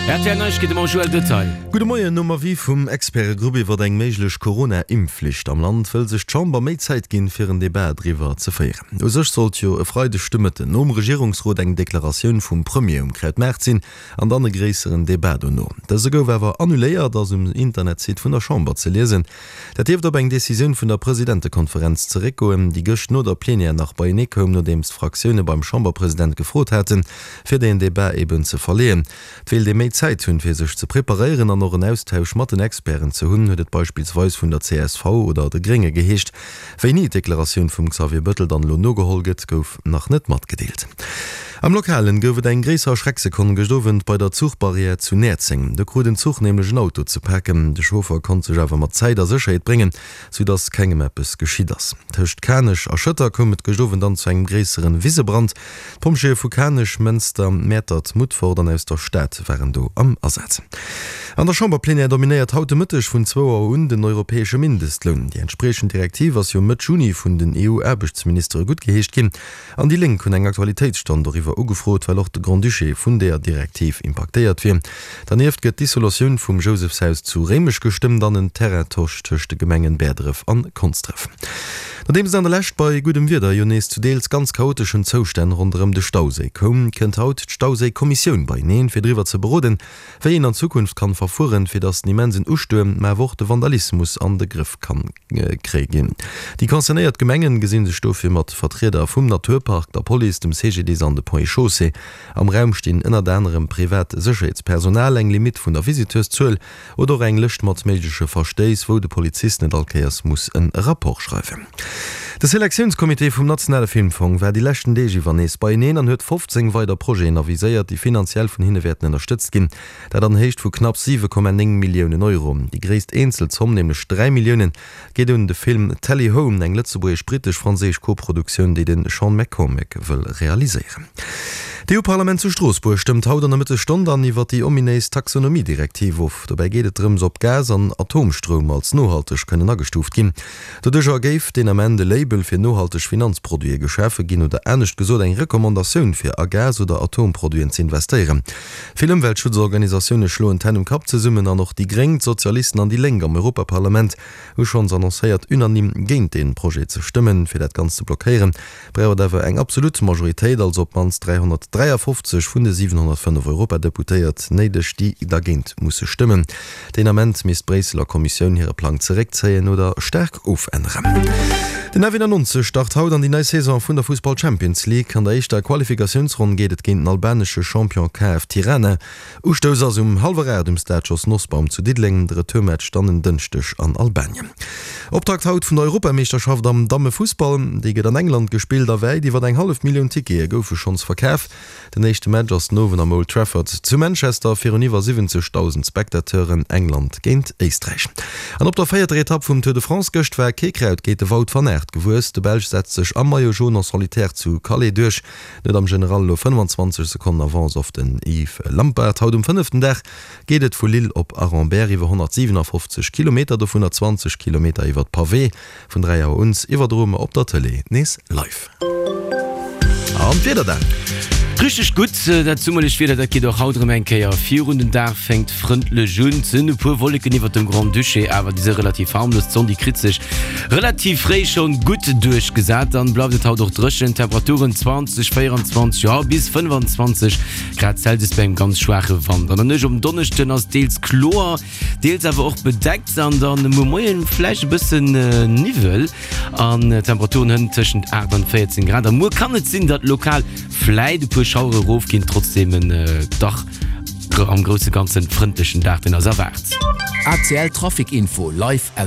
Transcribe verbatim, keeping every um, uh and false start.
R T L Neiegkeete mam Joël Detail. Gudde Moien, Nom Avis vum Expertegrupp iwwer eng méiglech Corona-Impfflicht am Land wëll sech d'Chamber méi Zäit ginn, fir en Debat driwwer ze féieren. U sech sollt jo e Freideg de Mëtten nom Regierungsrot eng Deklaratioun vum Premier um Krautmaart sinn an dann e gréisseren Debat dono. Dëse gouf awer annuléiert, ass um Internetsite vun der Chamber ze liesen. Dat dierft op eng Decisioun vun der Presidentekonferenz zeréckgoen, déi gëscht no der Plenière nach beienee koum, nodeems d'Fraktioune beim Chamberpresident gefrot haten, fir deen Debat eben ze verleeën. Et wéilt ee méi Zäit hunn, fir sech ze preparéieren an och en Austausch mat den Experten ze hunn, huet et beispillsweis vun der C S V oder de Grénge geheescht. Wéini d'Deklaratioun vum Xavier Bëttel dann elo nogeholl gëtt, gouf nach net matgedeelt. Am Lokalen gouf et eng gréisser Schrecksekonn gëscht Owend bei der Zuchbarrière zu Näerzeng. Do krut en Zuch nämlech en Auto ze paken. De Chauffer konnt sech awer mat Zäit a Sécherheet bréngen, sou dass kengem eppes geschitt ass. Tëscht Kanech a Schëtter koum et gëscht Owend dann zu engem gréisseren Wisebrand. D'Pompjeeë vu Kanech, Mënster, Mäertert, Mutfert an aus der Stad waren do am Asaz. An der Chamberplenière dominéiert haut de Mëtteg vun zwou Auer un den europäesche Mindestloun. Déi entspriechend Direktiv ass jo Mëtt Juni vun den E U-Aarbechtsministere guttgeheescht ginn. An déi Lénk hunn eng Aktualitéitsstonn doriwwer ugefrot, well och de Grand-Duché vun deeër Direktiv impaktéiert wier. Dernieft gëtt d'Dissolutioun vum Jousefshaus zu Réimech gestëmmt an en Terraintosch tëscht de Gemengen Bäerdref an Konsdref. Nodeems et an der Lescht bei guddem Wieder jo nees zu deels ganz chaoteschen Zoustänn ronderëm de Stauséi koum, kënnt haut d'Stauséi-Kommissioun beieneen, fir driwwer ze beroden, wéi een an Zukunft kann verfueren, fir datt den immensen Ustuerm, mä awer och de Vandalismus an de Grëff kann kréie ginn. Déi concernéiert Gemengen gesinn sech dofir mat Vertrieder vum Naturpark, der Police, dem C G D I S an de Ponts et Chaussées. Am Raum stinn ënnert anerem privat Sécherheetspersonal, eng Limitt vun der Visiteurszuel oder och eng Lëscht mat méigleche Verstéiss, wou de Polizist net all Kéiers muss e Rapport schreiwen. De Selektiounscomité vum nationale Filmfong war déi leschten Deeg iwwer nees beieneen an huet fofzéng weider Projeten aviséiert, déi finanziell vun hinne wäerten ënnerstëtzt ginn. Dat an Héicht vu knapp siwe Komma néng Milliounen Euro. Déi gréisst eenzel Zomm, nämlech dräi Milliounen, geet un de Film Tally Home, eng lëtzebuergesch-brittesch-franséisch Koproduktioun, déi de Sean McCormack wëll realiséieren. D'E U-Parlament zu Stroossbuerg stëmmt haut an der Mëttesstonn dann iwwer déi ominéis Taxonomie-Direktiv of. Dobäi geet et drëms, ob Gas an Atomstroum als nohalteg kënnen agestuuft ginn. Doduercher géif deen Ament e Label fir nohalteg Finanzproduite geschafe ginn, oder anescht gesot eng Recommandatioun fir a Gas oder Atomproduiten ze investéieren. Vill Ëmweltschutzorganisatioune schloen d'Hänn um Kapp zesummen an och déi Gréng, d'Sozialisten an déi Lénk am Europaparlament hu schonns annoncéiert, unanime géint dee Projet ze stëmmen. Fir dat Ganzt ze blockéieren, brauch et awer eng absolut Majoritéit, also op d'mannst dräihonnertdräiafofzeg vun de siwenhonnertfënnef Europadeputéiert néideg, déi dergéint musse stëmmen. Deen Ament misst d'Bréisseler Kommissioun hire Plang zeréckzéien oder staark ofänneren. Den F nonzeg start haut an déi nei Saison vun der Fussball Champions League. An der éischter Qualifikatiounsronn geet et géint den albanesche Champion K F Tirana. Ustouss ass um hallwer aacht um Stade Jos Nosbaum zu Diddeleng, de Retourmatch dann en Dënschdeg an Albanien. Optakt haut vun der Europameeschterschaft am Dammefussball, déi gëtt an England gespillt a wäit iwwer eng hallef Millioun Tickete goufe schonns verkaf. Den éischte Match ass den Owend am Old Trafford zu Manchester virun iwwer siwwenzegdausend Spectateuren, England géint Éisträich. An op der véierter Etapp vum Tour de France gëscht war kee Kraut géint de Wout van Aert gewuess. De Belsch setzt sech am Maillot jaune en solitaire zu Calais duerch, huet am General elo fënnfanzwanzeg Sekonnen Avance op den Yves Lampaert. Haut um fënneften Dag geet et vu Lille op Aremberg iwwer honnertsiwenafofzeg Kilometer, dovunner zwanzeg Kilometer iwwer Pavé. Vun dräi Auer un iwwerdroe mer op der Tëlee nees live. An d'Wieder dann. Richteg gutt, dat summerlecht Wieder, dat geet och haut erëm eng Kéier virun. Den Dag fänkt frëndlech un, et sinn e puer Wolleken iwwert dem Grand-Duché, awer déi si relativ harmlos. D'Sonn, déi kritt sech relativ fréi schonn gutt duerchgesat. Dann bleift et haut och dréchen, Temperaturen zwanzeg, véierenzwanzeg, jo bis fënnfanzwanzeg Grad Celsius bei engem ganz schwaache Wand. An der Nuecht op den Donneschden ass deels kloer, deels awer och bedeckt an dann muer Moien vläicht e bëssen Niwwel an Temperaturen hënt tëschent aacht an véierzéng Grad. A muer kann et sinn, datt lokal vläit e puer Schauere rofginn, trotzdem en dach am grousse Ganzen frëndlechen Dag, deen eis erwaart. A C L Trafic Info live aus.